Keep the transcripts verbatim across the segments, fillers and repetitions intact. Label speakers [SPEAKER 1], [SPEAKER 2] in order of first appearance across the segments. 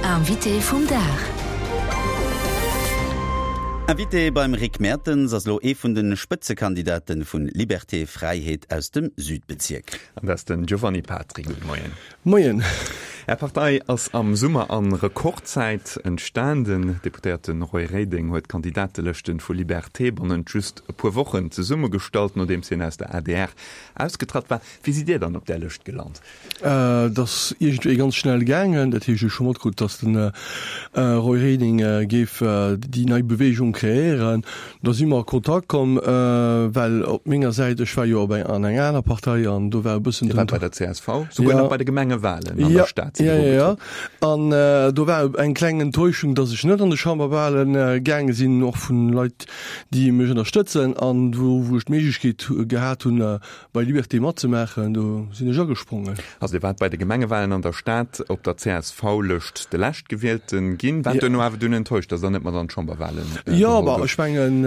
[SPEAKER 1] Invité vum Dag.
[SPEAKER 2] Invité beim Rick Mertens ass lo ee vun de Spëtzekandidaten vun Liberté Fräiheet aus dem Südbezierk.
[SPEAKER 3] An dat ass den Giovanni Patri. Gudde Moien.
[SPEAKER 4] Moien.
[SPEAKER 3] Är Partei ass am Summer an Rekordzäit entstan. Den Deputéierte Roy Reding huet d'Kandidatelëschten vu Liberté bannent just e puer Wochen zesummegestallt, nodeems hien aus der adr ausgetratt war. Wéi sidd Dir dann op där Lëscht gelant?
[SPEAKER 4] Dat ass iergendwéi ganz schnell gaangen. Dat heescht, ech hu matkrut, datt den Roy Reding géif déi nei Beweegung kreéieren. Da si mer a Kontakt komm, well op menger Säit, ech war jo op eng, an enger aner Partei an do war e bëssen
[SPEAKER 3] Dir waart bei der csv, souguer nach bei de Gemengewalen an der Stad sidd
[SPEAKER 4] Ja,
[SPEAKER 3] Dir
[SPEAKER 4] ja, ja.
[SPEAKER 3] ugetrunn.
[SPEAKER 4] An do war eng kleng Enttäuschung, datt ech net an de Chamberwale gaange sinn, och vun Leit, déi mech ënnerstëtzen an wou, wou ech d'Méiglechkeet gehat hunn, bei Liberté matzemaachen, do sinn ech agesprongen.
[SPEAKER 3] Also Dir waart bei de Gemengewalen an der Stad op der CSV-Lëscht de Leschtgewielte ginn, waart duerno awer dunn enttäuscht, datt Der net mat an d'Chamberwalen
[SPEAKER 4] Jo,
[SPEAKER 3] geholl
[SPEAKER 4] bah,
[SPEAKER 3] gouft.
[SPEAKER 4] ech mengen,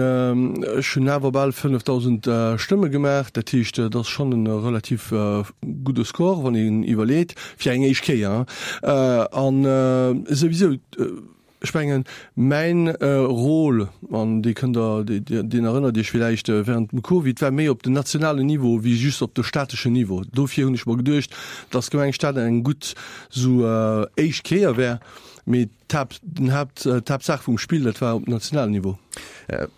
[SPEAKER 4] ech hunn awer bal fënnefdausend Stëmme gemaach, dat heescht, dat ass schonn e relativ gudde Score, wann een iwwerleet, fir eng éischt Kéier. An souwisou, ech mengen, mäin Rôle, an dee kënnt Der, deen erënnert Iech villäicht, während dem Covid, war méi op den nationalen Niveau wéi just op de stateschen Niveau. Dofir hunn ech mer geduecht, dass d'Gemeng Stad eng gutt sou éischt Kéier wär, mee d'Haapt, den Haapt, d'Haaptsaach vum Spill, dat war op nationalen Niveau.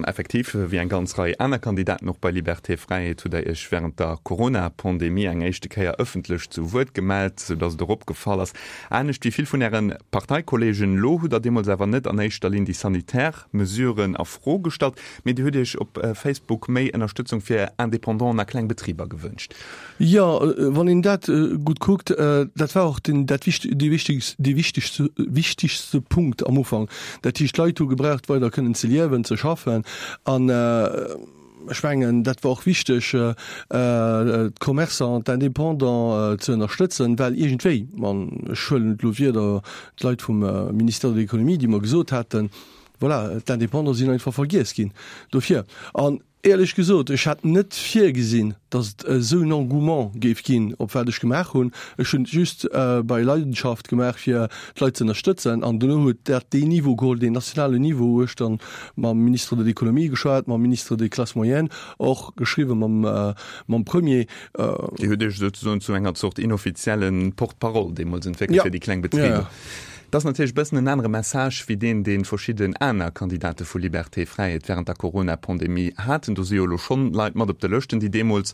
[SPEAKER 3] Effektiv, wéi eng ganz Rei aner Kandidaten och bei Liberté Fräiheet, hutt Der Iech wärend der Corona-Pandemie eng éischte Kéier ëffentlech zu Wuert gemellt, sou datt et och opgefall ass. Anescht wéi vill vun Äre Parteikollegen elo, hutt Der deemools awer net an éischter Linn déi sanitär Mesuren a Fro gestallt, mee Dir hutt Iech op Facebook méi Ënnerstëtzung fir Independanten a kleng Betriber gewënscht.
[SPEAKER 4] Jo, wann een dat gutt kuckt, dat war och den, dat wicht, dee wichtegst, dee wichtegste, wichtegste Punkt am Ufank. Dat heescht, d'Leit hu gebraucht, weider kënnen ze liewen, ze schaffen. An ech mengen, dat war och wichteg, d'Commerçanten, d'Indépendants ze ënnerstëtzen, well iergendwéi, an ech huelen et elo wieder, d'Leit vum Ministère de l'Économie, déi mer gesot haten, voilà, d'Indépendants sinn einfach vergiess ginn dofir. An éierlech gesot, ech hat net virgesinn, datt et esou en Engouement géif ginn op wat ech gemaach hunn. Ech hunn et just bei Leidenschaft gemaach, fir d'Leit ze ënnerstëtzen. An duerno huet dat deen Niveau geholl, deen nationalen Niveau, wou ech dann mam Ministre de l'Économie geschwat, mam Ministre des Classes moyennes, och geschriwwen mam, mam Premier.
[SPEAKER 3] Dir hutt Iech souzesoen zu enger Zort inoffizielle Porte-parole deemools entwéckelt fir déi kleng Betriber. Dat ass natierlech e bëssen en anere Message wéi deen, dee verschidden aner Kandidate vu Liberté Fräiheet wärend der Corona-Pandemie haten. Do si jo elo schonn Leit mat op de Lëschten, déi deemools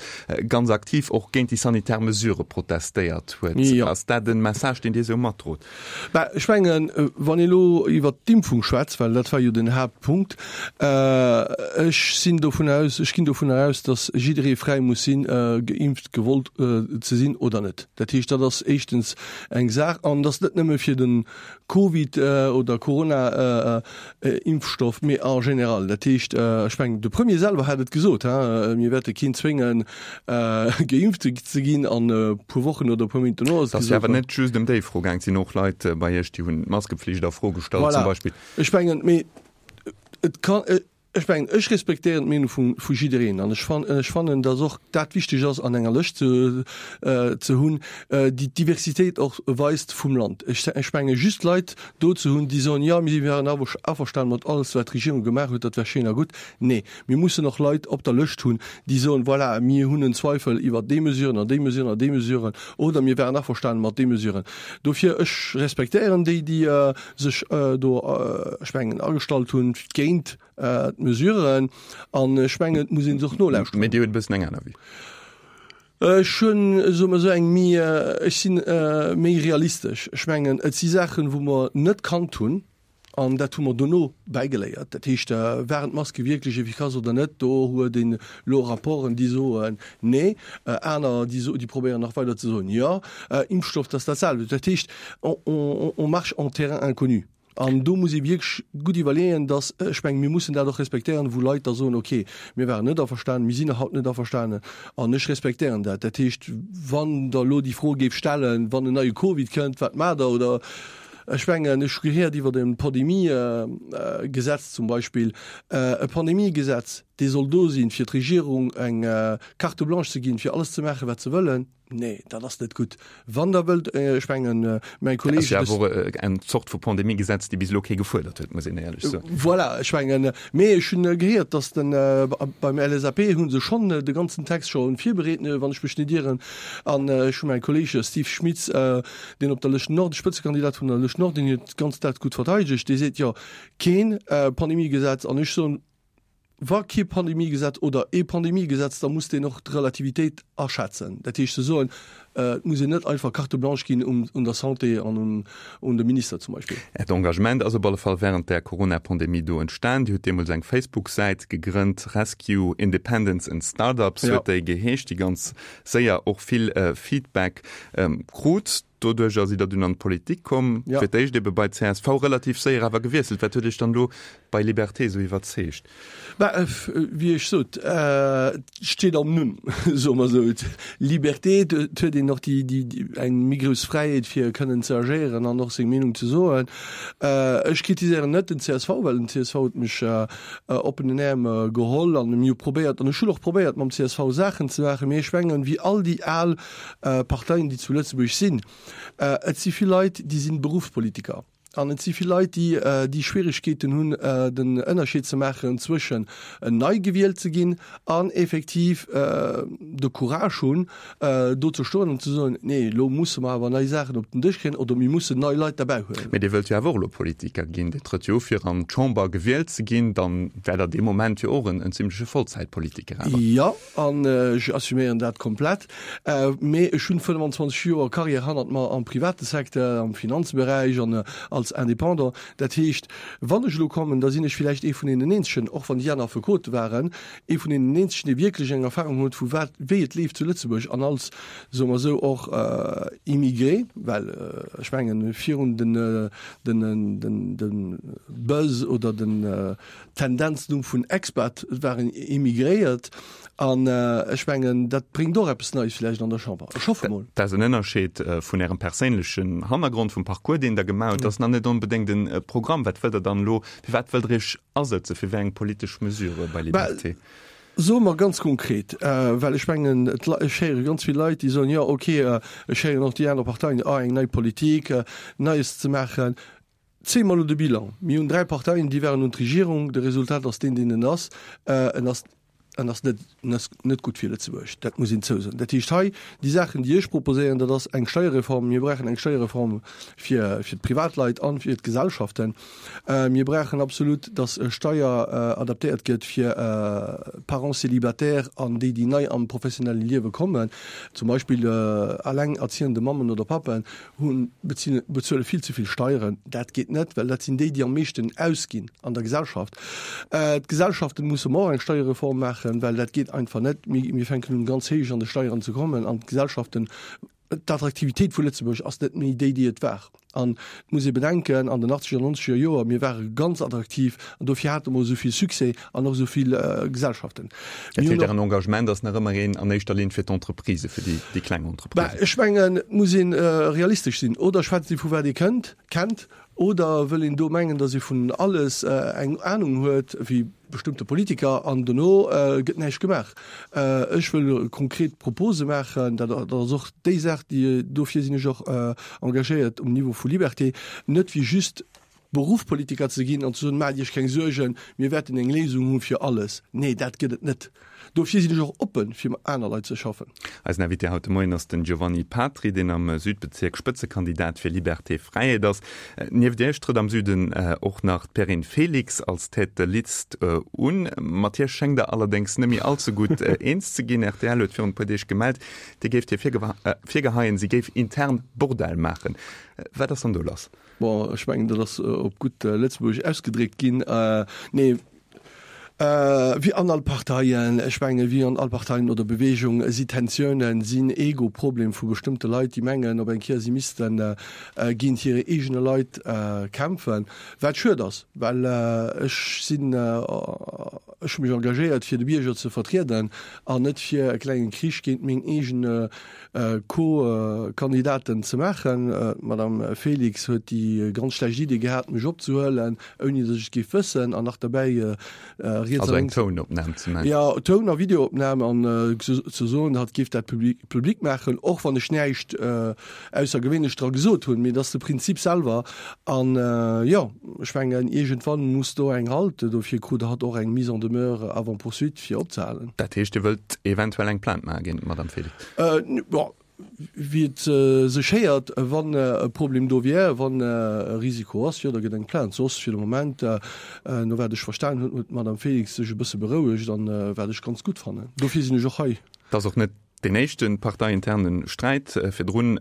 [SPEAKER 3] ganz aktiv och géint déi sanitär Mesurë protestéiert huet. Ass dat e Message, deen Dir esou matdrot?
[SPEAKER 4] Bah, ech mengen, wann ee elo iwwert d'Impfung schwätzt, well dat war jo den Haaptpunkt, ech sinn dovun aus, ech ginn dovunner aus, datt jidderee fräi muss sinn, geimpft gewollt ze sinn oder net. Dat heescht, dat ass éischtens eng Saach, an dat ass net nëmme fir de Covid oder Corona-Impfstoff, mee en général. Dat heescht, ech mengen, de Premier selwer hat et gesot, hein, mir wäerte keen zwéngen, geimpft ze ginn, an e puer Wochen oder e puer Méint dono ass et
[SPEAKER 3] Et ass jo
[SPEAKER 4] gesot
[SPEAKER 3] awer net just ëm déi Fro gaang. Et sinn och Leit bei Iech, déi hunn d'Maskepflicht a Fro gestallt zum
[SPEAKER 4] Voilà.
[SPEAKER 3] Beispill.
[SPEAKER 4] Ech mengen, mee et kann, Ech mengen, ech respektéieren d'Meenung vu, vu jiddereen an ech fan, ech fannen, datt och dat wichteg ass an enger Lëscht ze, ze hunn, déi d'Diversitéit och weist vum Land. Ech, ech menge just Leit do ze hunn, déi soen, jo, mir wären awer averstanen mat alles wat d'Regierung gemaach huet, dat wär schéin a gutt. Nee, mir mussen och Leit op der Lëscht hunn, déi soen, voilà, mir hunn en Zweifel iwwert déi Mesuren an déi Mesuren an déi Mesuren oder mir wären averstanen mat déi Mesuren. Dofir, ech respektéieren déi, déi sech do, ech mengen, agestallt hunn géint d'Mesuren an ech mengen, et muss ee se och nolauschteren.
[SPEAKER 3] Mee Dir hutt e bëssen eng aner Vue.
[SPEAKER 4] Ech hunn, soe mer esou, eng méi, ech si méi realistesch. Ech mengen, et si Saachen, wou mer net kannt hunn an dat hu mer dono bäigeléiert. Dat heescht, waren d'Maske wierklech efficace oder net? Do huet een elo Rapporten, déi soen, nee, aner, déi so, déi probéieren nach weider ze soen, jo. Impfstoff, dat ass dat selwecht. Dat heescht, on, on, on marche en terrain inconnu. An do muss ee wierklech gutt iwwerleeën, dass, ech mengen, mir mussen dat och respektéieren, wou Leit da soen, okay, mir waren net averstanen, mir sinn nach haut net averstanen an ech respektéieren dat. Dat heescht, wann Der elo déi Fro géift stellen, wann en neie Covid kënnt, wat maacht Der? Oder ech mengen, ech hu gehéiert iwwert e Pandemiegesetz zum Beispill, e Pandemiegesetz, dee soll do sinn, fir d'Regierung eng Carte blanche ze ginn, fir alles ze maachen, wat se wëllen. Nee, dat ass net gutt. Wann Der wëllt, ech mengen, mäi Kolleeg.
[SPEAKER 3] Dat ass jo awer och eng Zort vu Pandemiegesetz, déi bis elo kee gefuerdert huet, muss een éierlech soen.
[SPEAKER 4] Voilà, ech mengen, mee ech hunn gehéiert, datt den, beim LSAP hu se schonn de ganzen Text scho virbereet, wann ech mech net ieren. An ech hu mäi Kolleeg Steve Schmitz, deen op der Lëscht Nord, Spëtzekandidat vun der Lëscht Nord, deen huet ganz dat gutt verteidegt, dee seet, jo, keen Pandemiegesetz. An ech soen, Wa kee Pandemiegesetz oder ee Pandemiegesetz, da muss deen och d'Relativitéit aschätzen. Dat heescht ze soen, et muss een net einfach Carte blanche ginn un der Santé an un de Minister zum Beispill.
[SPEAKER 3] Äert Engagement ass op alle Fall wärend der Corona-Pandemie do entstan. Dir hutt deemools eng Facebook-Säit gegrënnt, Rescue Independents and Startups huet déi geheescht, déi ganz séier och vill Feedback krut. Doduercher sidd Der dunn an d'Politik komm, fir d'éischt ebe bei csv, relativ séier awer gewiesselt. Wat huet Iech dann elo bei Liberté esou iwwerzeegt?
[SPEAKER 4] Bah, wéi ech sot, et steet am Numm, soe mer esou. Liberté, et huet een och déi, déi, eng méi grouss Fräiheet fir kënnen ze agéieren an och seng Meenung ze soen. Ech kritiséieren net den csv, well den csv huet mech oppen den Äerm geholl an mir hu probéiert, an ech hunn och probéiert mam csv Saachen ze maachen, mee ech mengen, wéi all déi al Parteien, déi zu Lëtzebuerg sinn, Et si vill Leit, déi si Beruffspolitiker an et si vill Leit, déi déi Schwierigkeeten hunn, den Ënnerscheed ze maachen zwëschen nei gewielt ze ginn an effektiv de Courage hunn, do ze stoen an ze soen, Nee, elo musse mer awer nei Saachen op den Dësch kréien oder mir mussen nei Leit derbäi huelen.
[SPEAKER 3] Mee Dir wëllt jo awer och elo Politiker ginn. Dir trëtt jo u fir an d'Chamber gewielt ze ginn. Dann wäert Der dee Moment jo och en zimleche Vollzäitpolitiker awer.
[SPEAKER 4] Jo, an ech assuméieren dat komplett. Mee ech hunn fënnwanzwanzeg Joer Carrière hannert mer am private Secteur, am Finanzberäich an als Indépendant. Dat heescht, wann ech elo kommen, da sinn ech villäicht ee vun deenen eenzegen, och wann déi aner Affekote waren, ee vun deenen eenzegen, dee wierklech eng Erfahrung huet vu wat, wéi et leeft zu Lëtzebuerg an als, soe mer esou, och Immigré, well ech mengen, virun den, den, den, de Buzz oder den Tendenz-Numm vun Expat waren Immigréiert. An ech mengen, dat bréngt och eppes Neies villäicht an der Chamber. Ech hoffe mol.
[SPEAKER 3] Dat ass en Ënnerscheed vun Ärem perséinlechen Hannergrond, vum Parcours, deen Der gemaach hutt. Dat ass nach net onbedéngt e Programm. Wat wëllt Der dann elo, fir wat wëllt Der Iech asëtzen, fir wéi eng politesch Mesure bei Liberté?
[SPEAKER 4] Soe mer ganz konkret, well ech mengen, ech héiere ganz vill Leit, déi soen, jo okay, ech héieren och déi aner Parteien, ah eng nei Politik, Neies ze maachen. Zéie mer elo de Bilan. Mir hunn dräi Parteien, déi waren un d'Regierung. De Resultat ass deen, deen en ass. En ass En ass net, en ass net gutt fir Lëtzebuerg, dat muss een zousoen. Dat heescht hei, déi Saachen, déi ech proposéieren, dat ass eng Steierreform. Mir brauchen eng Steierreform fir, fir d'Privatleit an fir d'Gesellschaften. Mir brauchen absolut, dass Steier adaptéiert gëtt fir Parents célibataires an déi, déi nei am professionelle Liewe kommen. Zum Beispill allengerziehende Mammen oder Pappen hunn, bezuele vill ze vill Steieren. Dat geet net, well dat sinn déi, déi am meeschten ausginn an der Gesellschaft. D'Gesellschaften musse mer och eng Steierreform maachen, well dat geet einfach net. Mir fänken un ganz héich an de Steieren ze kommen an d'Gesellschaften, d'Attraktivitéit vu Lëtzebuerg ass net méi déi, déi et war. An et muss ee bedenken, an den achtzeger an nonzeger Joer, mir ware ganz attraktiv an dofir hate mer esou vill Succès an och esou vill Gesellschaften.
[SPEAKER 3] Dat heescht, Ären Engagement ass nach ëmmer een an éischter Linn fir d'Entreprisen, fir déi kleng Entreprisen?
[SPEAKER 4] Ech mengen, et muss ee realistesch sinn. Oder schwätzt ee vu wat ee kënnt, kennt, oder wëll een do mengen, datt ee vun alles eng Anung huet, wéi bestëmmte Politiker, an dono gëtt näischt gemaach. Ech wëll konkret Propose maachen. Dat ass och déi Saach, déi, dofir sinn ech och engagéiert um Niveau vu Liberté, net fir just Beruffpolitiker ze ginn an ze soen, Maacht Iech keng Suergen, mir wäerten eng Léisung hu fir alles. Nee, dat gëtt et net. Dofir sinn ech och oppen, fir mat aner Leit ze schaffen.
[SPEAKER 3] Eisen Invité haut de Moien ass den Giovanni Patri, deen am Südbezierk Spëtzekandidat fir Liberté Fräiheet ass. Nieft Iech trëtt am Süden och nach d'Perrine Felix als Tête de liste un. Mat hir schéngt Der allerdéngs net méi all ze gutt eens ze ginn. Rtl huet virun e puer Deeg gemellt, Dir géift hir virgeheien, si géif intern Bordell maachen. Wat ass dann do lass?
[SPEAKER 4] Bon, ech mengen, dat ass op gutt Lëtzebuergesch ausgedréckt ginn. Nee, wéi an all Parteien, ech mengen, wéi an all Parteien oder Beweegung si Tensiounen, sinn Ego-Problem vu bestëmmte Leit, déi mengen op eng Kéier, si misste géint hir eegene Leit kämpfen, wat schued ass, well ech sinn, Ech hu mech engagéiert, fir de Bierger ze vertrieden an net fir e klengen Krich géint meng eegen Co-Kandidaten ze maachen. D'Madame Felix huet déi ganz schlecht Idee gehat, mech opzehuelen, ouni datt ech et géif wëssen, an nach derbäi riets
[SPEAKER 3] Also
[SPEAKER 4] a
[SPEAKER 3] eng
[SPEAKER 4] lénks.
[SPEAKER 3] Tounopnam ze maachen.
[SPEAKER 4] Jo, Toun a Videoopnam an ze soen, hatt géif dat public maachen, och wann ech näischt Aussergewéinleches dra gesot hunn. Mee et ass de Prinzip selwer. An jo, ech mengen, iergendwann muss do eng Halt, dofir krut hatt och eng Mise en demeure avant poursuite, fir opzehalen.
[SPEAKER 3] Dat heescht, Dir wëllt eventuell eng Plainte maache géint d'Madame Felix?
[SPEAKER 4] Bon, wéi et sech héiert, wann e Problem do wier, wann e Risiko ass, jo, da gëtt eng Plainte. Soss fir de Moment, no wat ech verstan hunn, huet d'Madame Felix sech e bësse berouegt, an wat ech ganz gutt fannen. Dofir sinn ech och hei.
[SPEAKER 3] Et ass och net deen éischte parteiinterne Sträit. Virdrun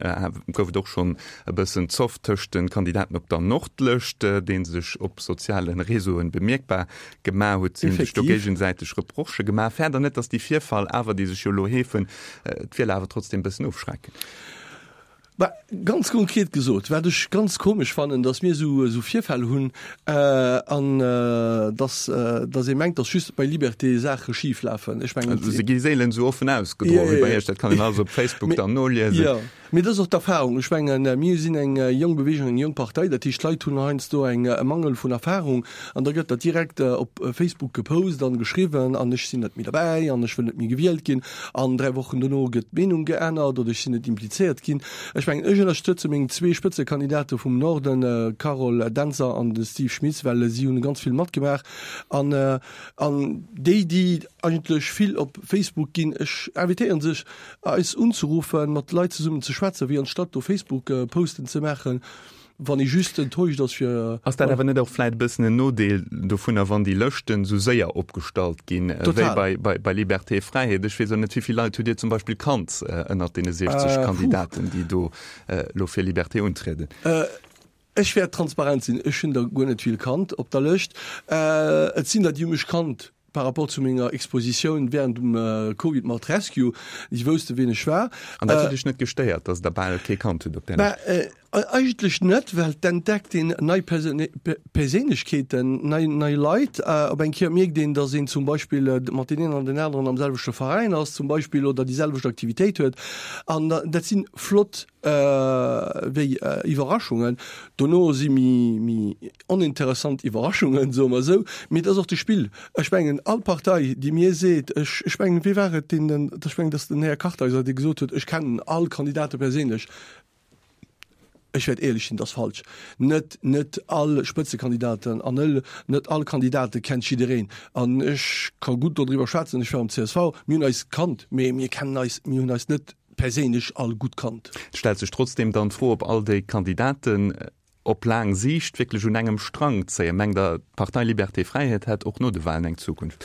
[SPEAKER 3] gouf et och schonn e bëssen Zoff tëscht de Kandidaten op der Nordlëscht, dee sech op soziale Reseauen bemierkbar gemaach huet. Si hunn sech do géigesäiteg Reprochë gemaach. Fäert Der net, datt déi Virfall awer, déi sech jo elo heefen, d'Wieler awer trotzdeem e bëssen ofschrecken?
[SPEAKER 4] Bah, ganz konkret gesot, wat ech ganz komesch fannen, dass mir esou esou Virfäll hunn an dass dass ee mengt, dass just bei Liberté Saache schif lafen. Ech mengen.
[SPEAKER 3] Also se gi seelen esou offen ausgedroen wéi bei Iech, dat kann een alles op Facebook dann noliesen.
[SPEAKER 4] Jo, mee dat ass och d'Erfahrung. Ech mengen, mir sinn eng jonk Bewegung, eng jonk Partei, dat heescht, d'Leit hunn heiansdo eng e Mangel vun Erfahrung an da gëtt dat direkt op Facebook gepost an geschriwwen an ech sinn net méi derbäi an ech wëll net méi gewielt ginn an dräi Wochen dono gëtt d'Meenung geännert oder ech sinn net implizéiert ginn. Ech mengen, ech ënnerstëtze meng zwee Spëtzekandidate vum Norden, d'Carole Dentzer an de Steve Schmitz, well si hunn ganz vill matgemaach. An, an déi, déi eigentlech vill op Facebook ginn, ech invitéieren sech, eis unzeruffen, mat Leit zesummen ze schwätzen, wéi anstatt do Facebook-Posten ze maachen. Wann ee just enttäuscht ass fir.
[SPEAKER 3] Ass dat awer net och vläit e bëssen en Nodeel dovunner, wann déi Lëschten esou séier opgestallt ginn, wéi bei Liberté Fräiheet? Ech weess och net, wéi vill Leit hutt Dir zum Beispill kannt ënnert deene siechzeg Kandidaten, déi do elo fir Liberté untrieden?
[SPEAKER 4] Ech wäert transparent sinn, ech hunn der guer net vill kannt op der Lëscht. Et sinn der, déi hu mech kannt par rapport zu menger Expositioun während dem Covid mat Rescue, déi wousste wien ech war.
[SPEAKER 3] An dat huet Iech net gestéiert, datt Der bal kee kannt hutt op där Lëscht?
[SPEAKER 4] Eigentlech net, well et entdeckt een nei Perséinlechkeeten, nei nei Leit. Op eng Kéier mierkt een, datt een zum Beispill mat deen een an deen aneren am selwechte Veräin ass zum Beispill oder déi selwecht Aktivitéit huet. An dat si flott wéi Iwwerraschungen. Dono si méi méi oninteressant Iwwerraschungen, soe mer esou. Mee et ass och de Spill. Ech mengen, all Partei, déi mir seet, ech ech mengen, wee war et, deen den, ech mengen, et ass den Här Kartheiser, dee gesot huet, ech kennen all Kandidate perséinlech. Ech wäert éierlech sinn, et ass falsch. Net net all Spëtzekandidaten an ëll net all Kandidate kennt jiddereen. An ech ka gutt dodriwwer schwätzen, ech war am C S V, mir hunn eis kannt, mee mir kennen eis, mir hunn eis net perséinlech all gutt kannt.
[SPEAKER 3] Et stellt sech trotzdeem dann d'Fro, ob all déi Kandidaten op laang Siicht wierklech un engem Strang zéien. Mengt Der, d'Partei Liberté Fräiheet hätt och no de Wahlen eng Zukunft?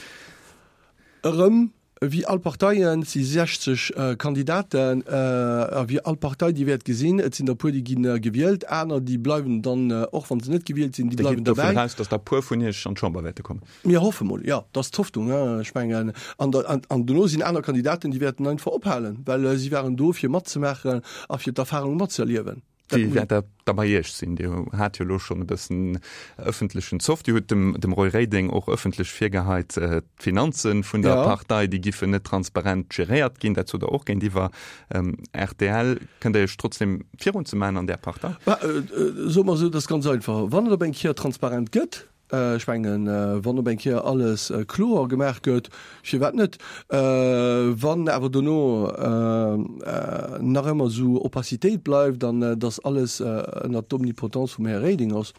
[SPEAKER 4] Erëm Wéi all Parteien, et si sechzeg Kandidaten, a wéi all Partei, déi wäert gesinn, et sinn der puer, déi gi gewielt, aner, déi bleiwen dann, och wa se net gewielt sinn, déi
[SPEAKER 3] Dir
[SPEAKER 4] bleiwen
[SPEAKER 3] gitt dovun
[SPEAKER 4] derbäi.
[SPEAKER 3] aus, datt der puer vun Iech an d'Chamber wäerte kommen?
[SPEAKER 4] Mir hoffe mol, jo, dat ass d'Hoffnung. Ech mengen, an da, an dono sinn aner Kandidaten, déi wäerten einfach ophalen, well si waren do, fir matzemaachen a fir d'Erfahrung matzëerliewen.
[SPEAKER 3] Wéi wäert dat da bei Iech sinn? Dir hat jo elo schonn e bëssen ëffentlechen Zoff. Dir hutt dem, dem Roy Reding och ëffentlech virgeheit, d'Finanze vun der Partei, déi giffen net transparent geréiert ginn. Dat sot Der och géintiwwer R T L. Kënnt Der Iech trotzdem virunzemaachen an där Partei?
[SPEAKER 4] Soe mer esou, dat ass ganz einfach. Wann et op eng Kéier transparent gëtt, Ech mengen, wann op eng Kéier alles kloer gemaach gëtt, firwat net? Wann awer dono nach ëmmer esou Opacitéit bleift an datt alles ënnert d'Omnipotence vum Här Reding ass,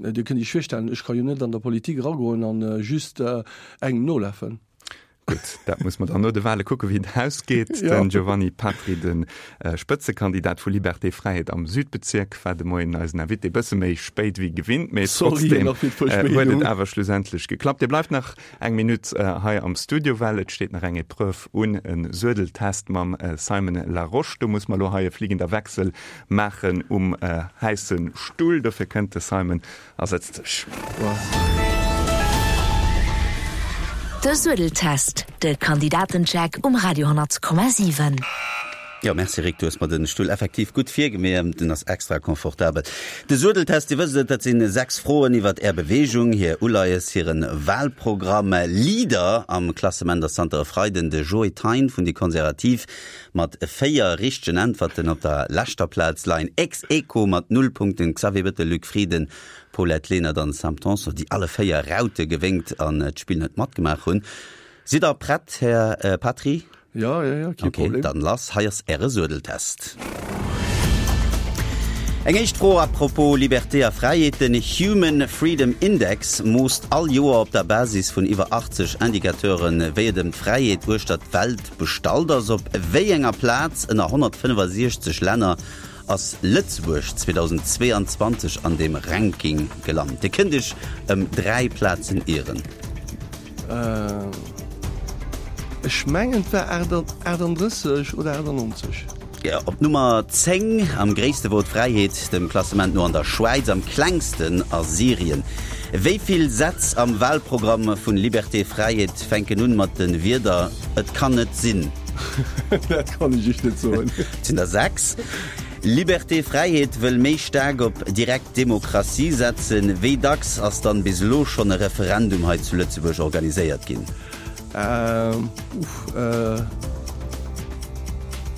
[SPEAKER 4] Dir kënnt Iech virstellen, ech ka jo net an der Politik eragoen a just engem nolafen.
[SPEAKER 3] Gutt, dat muss mer dann no de Wahle kucken, wéi et ausgeet. Den Giovanni Patri, de Spëtzekandidat vu Liberté Fräiheet am Südbezierk, war de Moien eisen Invité. E bësse méi spéit wéi gewinnt, mee trotzdem huet et awer schlussendlech geklappt. Dir bleift nach eng Minutt hei am Studio, well et steet nach eng Epreuve un, e Suedeltest mam Simon Larosche. Do muss mer elo hei e fliegender Wechsel maachen um heiße Stull. Dofir kënnt de Simon a sëtzt sech.
[SPEAKER 1] De Suedeltest, de Kandidatencheck um Radio honnert Komma siwen.
[SPEAKER 2] Jo, merci Rick, du hues mer den Stull effektiv gutt virgemeet, den ass extra confortabel. De Suedeltest, Dir wësst et, dat sinn sechs Froen iwwert Är Beweegung, hir Uleies, hiren Wahlprogramm. Leader am Klassement ass zanter e Freiden de Joe Thein vun déi Konservativ mat véier richtegen Äntwerten. Op der leschter Plaz leien ex aequo mat null Punkten Xavier Bettel, Luc Frieden, Paulette Lenert an Sam Tanson, déi alle véier Raute gewénkt an d'Spill net matgemaach hunn. Sidd Der prett, Här Patry?
[SPEAKER 4] Ja, ja, ja, kee
[SPEAKER 2] Okay,
[SPEAKER 4] Problem.
[SPEAKER 2] dann lass, hei ass Äre Suedeltest. Eng éischt Fro à propos Liberté a Fräiheet, Den Human Freedom Index moosst all Joer op der Basis vun iwwer achtzeg Indicateuren, wéi et ëm d'Fräiheet uechter d'Welt bestallt ass. Op wéi enger Plaz ënner honnertfënnefasechzeg Länner ass Lëtzebuerg zweedausendzweeanzwanzeg an deem Ranking gelant? Dir kënnt Iech ëm dräi Plazen ieren.
[SPEAKER 4] Ech mengen et war achtandrësseg oder achtannonzeg.
[SPEAKER 2] Jo, op Nummer zéng am gréisste wor d'Fräiheet dem Klassement no an der Schwäiz, am klengsten a Syrien. Wéi vill Sätz am Wahlprogramm vun Liberté Fräiheet fänken un mat de Wierder Et kann net sinn?
[SPEAKER 4] Dat kann ech Iech net soen.
[SPEAKER 2] Et sinn der sechs. Liberté Fräiheet wëll méi staark op direkt Demokratie setzen. Wéi dacks ass dann bis elo schonn e Referendum hei zu Lëtzebuerg organiséiert ginn?
[SPEAKER 4] Uff,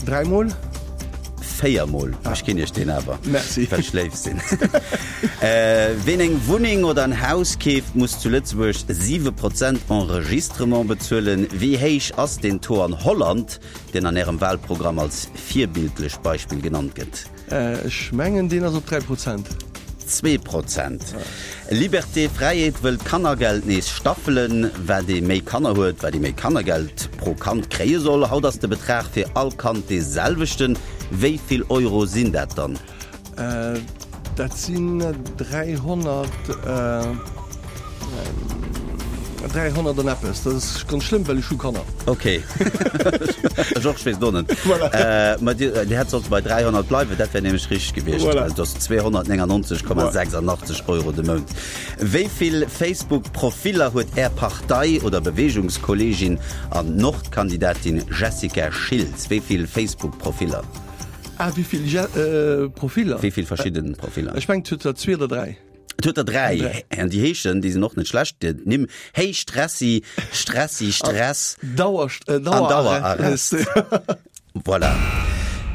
[SPEAKER 4] dräi Mol?
[SPEAKER 2] Véier Mol. Ech ginn Iech deen awer.
[SPEAKER 4] Merci.
[SPEAKER 2] Well ech léif sinn. Ween eng Wunneng oder en Haus keeft, muss zu Lëtzebuerg siwe Prozent Enregistrement bezuelen. Wéi héich ass deen Taux an Holland? deen an Ärem Wahlprogramm als virbildlech Beispill genannt gëtt?
[SPEAKER 4] Ech mengen, deen ass op dräi Prozent.
[SPEAKER 2] Zwee Prozent. Liberté, Fräiheet wëll d'Kannergeld nees staffelen. Wat ee méi Kanner huet, wat ee méi Kannergeld pro Kand kréie soll. Haut ass de Betrag fir all Kand dee selwechten. Wéi vill Euro sinn dat dann?
[SPEAKER 4] Dat sinn dräihonnert, dräihonnert an eppes. Dat ass ganz schlëmm, well ech hu Kanner.
[SPEAKER 2] Ok. Ech och, ech weess et och net.
[SPEAKER 4] Voilà.
[SPEAKER 2] Mä Dir, Dir hätt sollte bei dräihonnert bleiwen, dat wär nämlech richteg gewiescht.
[SPEAKER 4] Voilà.
[SPEAKER 2] Dat ass zweehonnertnéngannonzeg Komma sechsundachtzeg Euro de Mount. Wéi vill Facebook-Profiller huet Är Partei oder Beweegungskolleegin an Nordkandidatin Jessica Schiltz? Wéi vill Facebook-Profiller?
[SPEAKER 4] Ah, wéi vill Je äh, Profiller?
[SPEAKER 2] Wéi vill verschidden Profiller?
[SPEAKER 4] Ech mengen, et huet der zwee oder dräi.
[SPEAKER 2] Et huet der dräi.
[SPEAKER 4] Dräi.
[SPEAKER 2] An déi heeschen, déi sinn och net schlecht, déi Nimm, Hey Stressi, Stressi, Stress.
[SPEAKER 4] Dauer, äh,
[SPEAKER 2] An Dauerarrest. Voilà.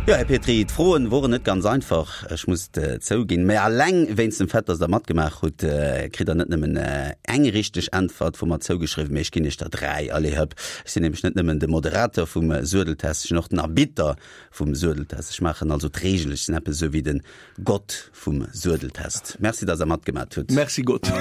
[SPEAKER 2] Jo, Här Petry, d'Froen woren net ganz einfach, ech muss et zouginn. Mä alleng wéinst dem Fait, dass Der matgemaach hutt, kritt Der net nëmmen eng richteg Äntwert vu mer zougeschriwwen, mee ech ginn Iech der dräi. Allez hëpp. Ech sinn nämlech net nëmmen de Moderator vum Suedeltest, ech sinn och den Arbitter vum Suedeltest. Ech maachen also d'Reegelen, ech sinn eppes esou wéi den Gott vum Suedeltest. Merci, dass Der matgemat hutt.
[SPEAKER 4] Merci Gott.